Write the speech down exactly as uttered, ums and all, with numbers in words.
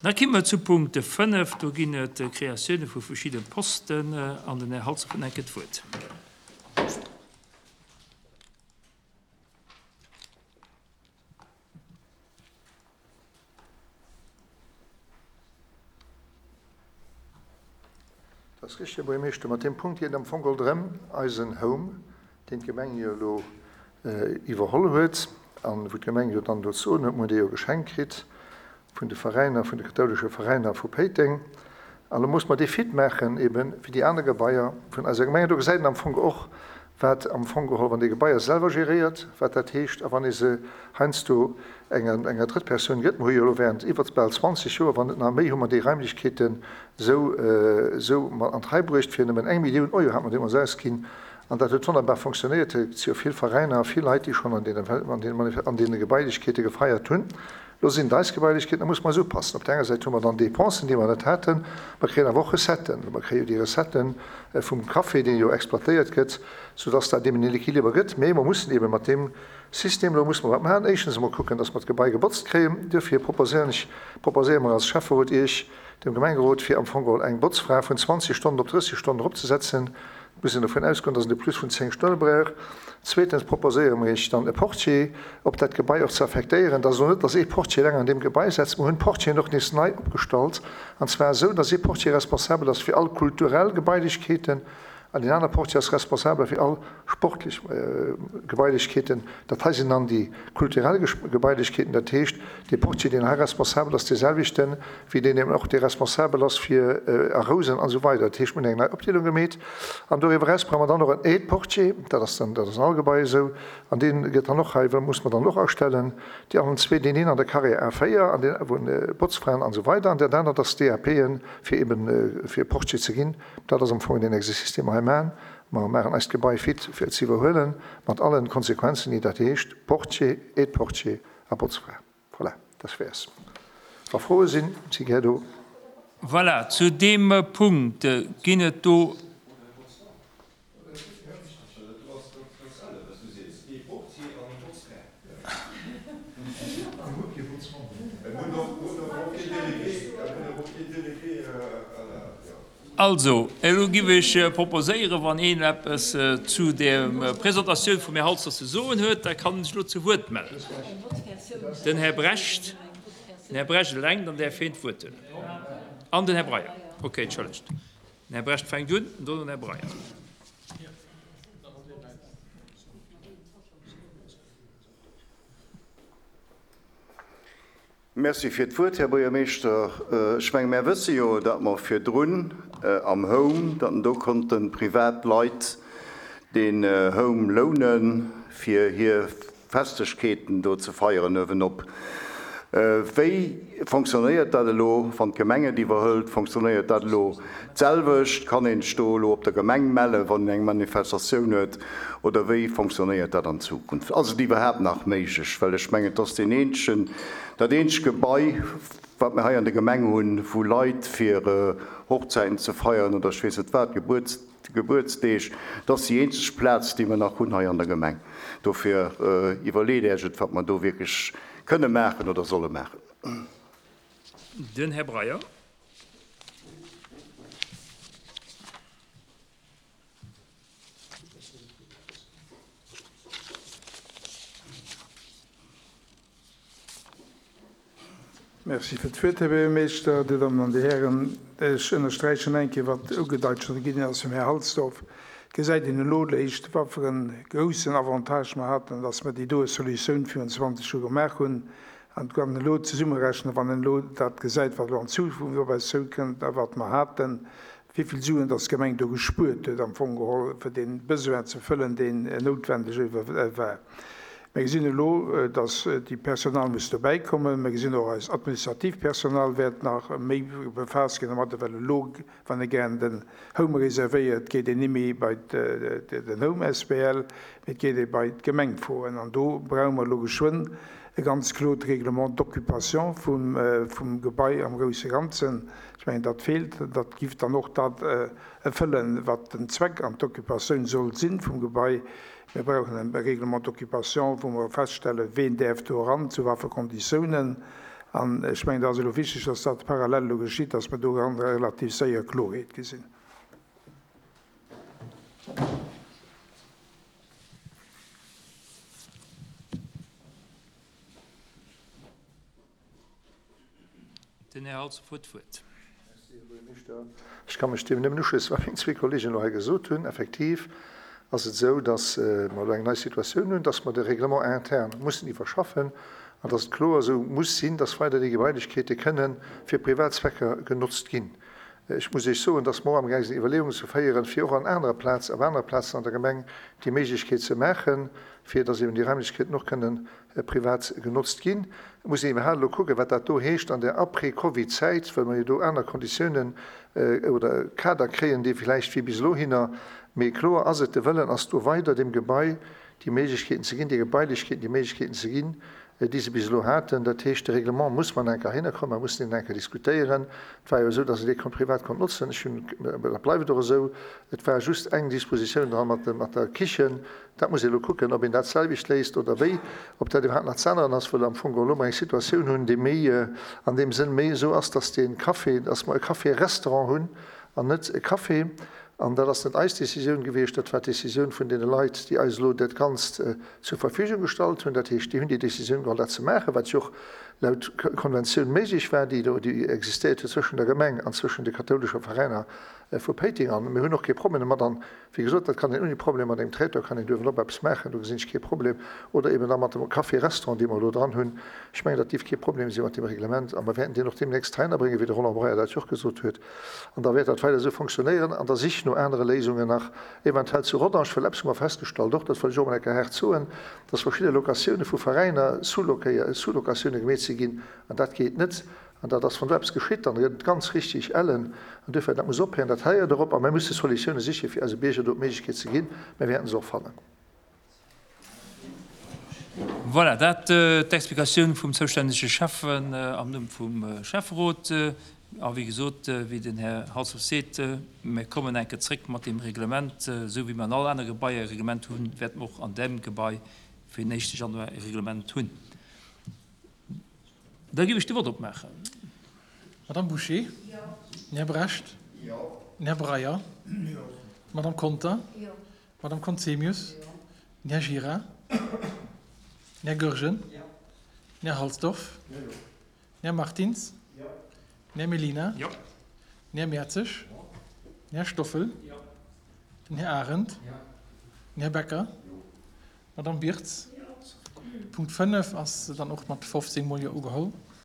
Da komme mer zu Punkt fënnef. Do ginn et Kreatioune vu verschidde Posten an den Här Halsdorf huet enke d'Wuert. Dat ass richtig, Här Buergermeeschter. Mat deem Punkt geet et am Fong geholl drëm, eisen Home, deen d'Gemeng jo elo iwwerholl huet an wou d'Gemeng jo dann do ze soen huet, mir hunn dee jo geschenkt kritt vun de Veräiner, vun de kathoulesche Veräiner vu Péiteng. An elo muss mer dee fit maachen, ebe wéi déi aner Gebaier vun eiser Gemeng. An do gesäit een am Fong och, wat am Fong geholl, wann ee Gebaier selwer geréiert, wat dat heescht a wann ee se heiansdo enger, enger Drëttpersoun gëtt. Mer hu jo elo während iwwer bal zwanzeg Joer, wann net nach méi, hu mer déi Raimlechkeeten esou, esou an d'Rei bruecht. Fir nëmmen eng Millioun Euro hat mer deemools ausginn. An dat huet wonnerbar fonctionnéiert. Et si jo vill Veräiner a vill Leit, déi schonn an deene, an deene, an deene Gebailechkeete gefeiert hunn. Lo sinn et eis Gebailechkeeten, da musse mer eis upassen. Op der enger Säit hu mer dann Dépensen, déi mer net haten. Mer kréien awer och Recetten. Mer kréie jo déi Recettë vum Café, dee jo exploitéiert gëtt, soudass dat eben en Équiliber gëtt. Mee mer mussen eben mat deem System elo musse mer wat maachen. Éischtens emol kucken, dass mer d'Gebai gebotzt kréien. Duerfir proposéieren ech, proposéiere mer als Schäfferot Iech, dem Gemengerot, fir am Fong geholl eng Botzfra vun zwanzeg Stonnen op drësseg Stonnen eropzesetzen. Et muss een dovun ausgoen, dass een e Plus vun zéng Stonne brauch. Zweetens proposéiere mer Iech dann e Portier op dat Gebai och ze affektéieren. Dat ass elo net, dass ee Portier eleng an deem Gebai setzt. Mer hunn d'Portieren och nees nei opgestallt, an zwar esou, dass ee Portier responsabel ass fir all kulturell Gebailechkeeten an deen aner Portier ass responsabel fir all sportlech Gebailechkeeten. Dat hei sinn dann déi kulturell Gebailechkeeten. Dat heescht, dee Portier, deen hei responsabel ass, deeselwechten, wéi deen eben och, dee responsabel ass fir a Rousen an esou weider. Dat heescht, mir hunn eng nei Opdeelung gemeet. An doriwwer eraus brauche mer dann och en Aide-Portier. Dat ass dann, dat ass an all Gebai esou. An dee gëtt dann och hei, muss mer dann och astellen. Déi allen zwee, deen een an der Carrière A véier, an deen, wou Botzfraen an esou weider, an dat anert ass d'DAPen, fir eben, fir Portier ze ginn. Dat ass am Fong deen Exercice, dee mer hei maachen. Mer maachen eist Gebai fit, fir et ze iwwerhuelen, mat allen Konsequenzen, déi dat heescht, Portier, Aide-Portier a Botzfra. Voilà, das wär's. Wa Froe sinn, si gär do. Voilà, zu deem Punkt ginn et do. Also, elo giff ech proposéieren, wann een eppes zu der Presentatioun vum Här Halsdorf ze soen huet, da kann en sech elo zu Wuert mellen. Den Här Brecht, den Här Brecht eleng, dann däerf hien d'Wuert huelen. An den Här Breyer. Okay, entschëllegt. Den Här Brecht fänkt un, an dono den Här Breyer. Merci fir d'Wuert, Här Buergermeeschter. Ech menge mär wësse jo, datt mer virdrun am Home, datt do konnte privat Leit deen Home lounen, fir hir Festlechkeeten do ze feieren uewenop. Wéi fonctionnéiert dat elo, wann d'Gemeng et iwwerhëlt? Fonctionnéiert dat elo d'selwecht? Kann een sech do elo op der Gemeng mellen, wann een eng Manifestatioun huet? Oder wéi fonctionnéiert dat an Zukunft? Ass et iwwerhaapt nach méiglech? Well ech mengen, et ass deen eenzegen, dat eenzegt Gebai, wat mir hei an der Gemeng hunn, wou Leit fir Hochzäiten ze feieren oder ech weess net wat, Gebuerts, Gebuertsdeeg, dat ass déi eenzeg Plaz, déi mir nach hunn hei an der Gemeng. Dofir iwwerleet Äech et, wat mer do wierklech kënne maachen oder solle maachen. Den Här Breyer. Merci fir d'Wuert, Här Buergermeeschter, Dir Dammen an Dir Hären. Ech ënnersträichen eng Kéier, wat ugedeit scho ginn ass vum Här Halsdorf. Et gesäit een elo léischt, wat fir e groussen Avantage mer haten, dass mer déi doe Solutioun virun zwanzeg Joer gemaach hunn. An et kann een elo zesummerechnen, wann een elo dat gesäit, wat elo an Zukunft op eis zoukënnt a wat mer haten, wéi vill Suen dass d'Gemeng do gespuert huet am Fong geholl, fir dee Besoin ze fëllen, deen noutwendeg war. Mir gesinn elo, dass déi Personal muss dobäikommen. Mir gesinn och, eist administratiivt Personal wäert nach méi befaasst ginn domadder, well elo, wann ee gären den Home reservéiert, geet een ni méi bei den Home asbl, mee et geet ee bei d'Gemeng froen. An do brauche mer elo geschwënn e ganz klot Règlement d'occupation vum Gebai am grousse Ganzen. Ech mengen, dat feelt. Dat giff dann och dat erfëllen, wat den Zweck an d'Occupatioun soll sinn vum Gebai. Mir brauchen e Règlement d'occupation, wou mer feststellen, ween däerf do eran, zu wat fir Konditiounen. An ech mengen, dat ass elo wichteg, dass dat parallel elo geschitt, dass mer do relativ séier Kloerheet gesinn. Den Här Halsdorf huet d'Wuert. Merci, Här Buergermeeschter. Ech ka mech deem nëmmen uschléissen, wat meng zwee Kollegen elo hei gesot hunn. Effektiv ass et esou, dass mer elo eng nei Situatioun hunn, dass mer de Règlement interne mussen iwwerschaffen an dass et kloer esou muss sinn, dass weider déi Gebailechkeete kënnen fir privat Zwecker genotzt ginn. Ech muss Iech soen, dass mer och amgaang sinn Iwwerleeungen ze féieren, fir och an anerer Plaz, op anere Plazen an der Gemeng déi Méiglechkeet ze maachen, fir dass eben déi Raimlechkeeten och kënnen privat genotzt ginn. Et muss een iwwerhaapt elo kucken, wat dat do heescht an der Après-Covid-Zäit, well mer jo do aner Konditiounen oder Kader kréien, déi vläicht wéi bis elohinner. Mee kloer ass et, de Wëllen ass do weider deem Gebai déi Méiglechkeeten ze ginn, de Gebailechkeeten déi Méiglechkeeten ze ginn, déi se bis elo haten. Dat heescht, de Règlement muss mer enker hinnerkommen, mer mussen deen enker diskutéieren. Et war jo esou, dass een dee konnt privat konnt notzen. Ech hunn, dat bleift och esou, et war just eng Dispositioun dran mat, mat der Kichen. Dat muss ee elo kucken, ob een dat selwecht léisst oder wéi, ob dat iwwerhaapt nach ze änneren ass, well am Fong geholl elo mer eng Situatioun hunn, déi méi an deem Sënn méi esou ass, dass dee Café, dass mer e Café-Restaurant hunn an net e Café. An dat ass net eis Décisioun gewiescht, dat war d'Décisioun vun deene Leit, déi eis elo dat Ganzt zur Verfügung gestallt hunn. Dat heescht, déi hunn déi Décisioun geholl, dat ze maachen, wat jo och laut Konventioun méiglech war, déi do déi existéiert huet zwëschen der Gemeng an zwëschen de kathoulesche Veräiner vu Péiteng. An mir hunn och kee Problem domat. An, wéi gesot, dat kann een ouni Problem mat engem Traiteur kann een do uewenop eppes maachen, do gesinn ech kee Problem. Oder eben da mat dem Café-Restaurant, dee mer elo dran hunn. Ech mengen, dat dierf kee Problem si mat deem Reglement. A mer wäerten deen och deemnächst heihinnerbréngen, wéi de Roland Breyer dat jo och gesot huet. An da wäert dat weider esou fonctionnéieren an der Sich no anere Léisungen nach, eventuell zu Rodange, well eppes hu mer festgestallt och, dat wëll ech och emol eng Kéier haart soen, dass verschidde Locatioune vu Veräiner Sous-Locatioune gemeet si ginn, an dat geet net. An dat ass, wann do eppes geschitt, dann gëtt et ganz richtig ellen. An duerfir, dat muss ophéieren, dat héiert erop. A mir musse Solutioune sichen, fir eise Bierger do d'Méiglechkeet ze ginn. Mir wäerten se och fannen. Voilà, dat d'Explikatioun vum zoustännege Schäffen am Numm vum Schäfferot. A wéi gesot, wéi den Här Halsdorf seet, mir kommen eng Kéier zréck mat deem Reglement. Esou wéi mir an all anere Gebaier e Reglement hunn, wäerte mer och an deem Gebai fir den éischte Januar e Reglement hunn. Da géif ech de Vott opmaachen. Madame Bouché? Jo. Den Här Brecht? Jo. Den Här Breyer? Jo. D'Madame Conter? Jo. D'Madame Conzemius? Jo. Den Här Gira? Den Här Goergen? Jo. Den Här Halsdorf? Jo. Den Här Martins? Jo. Den Här Mellina? Jo. Den Här Mertzig? Jo. Den Här Stoffel? Jo. Den Här Arendt? Jo. Den Här Becker? Jo. D'Madame Birtz? Jo. Punkt fënnef ass dann och mat fofzéng Mol Jo ugeholl.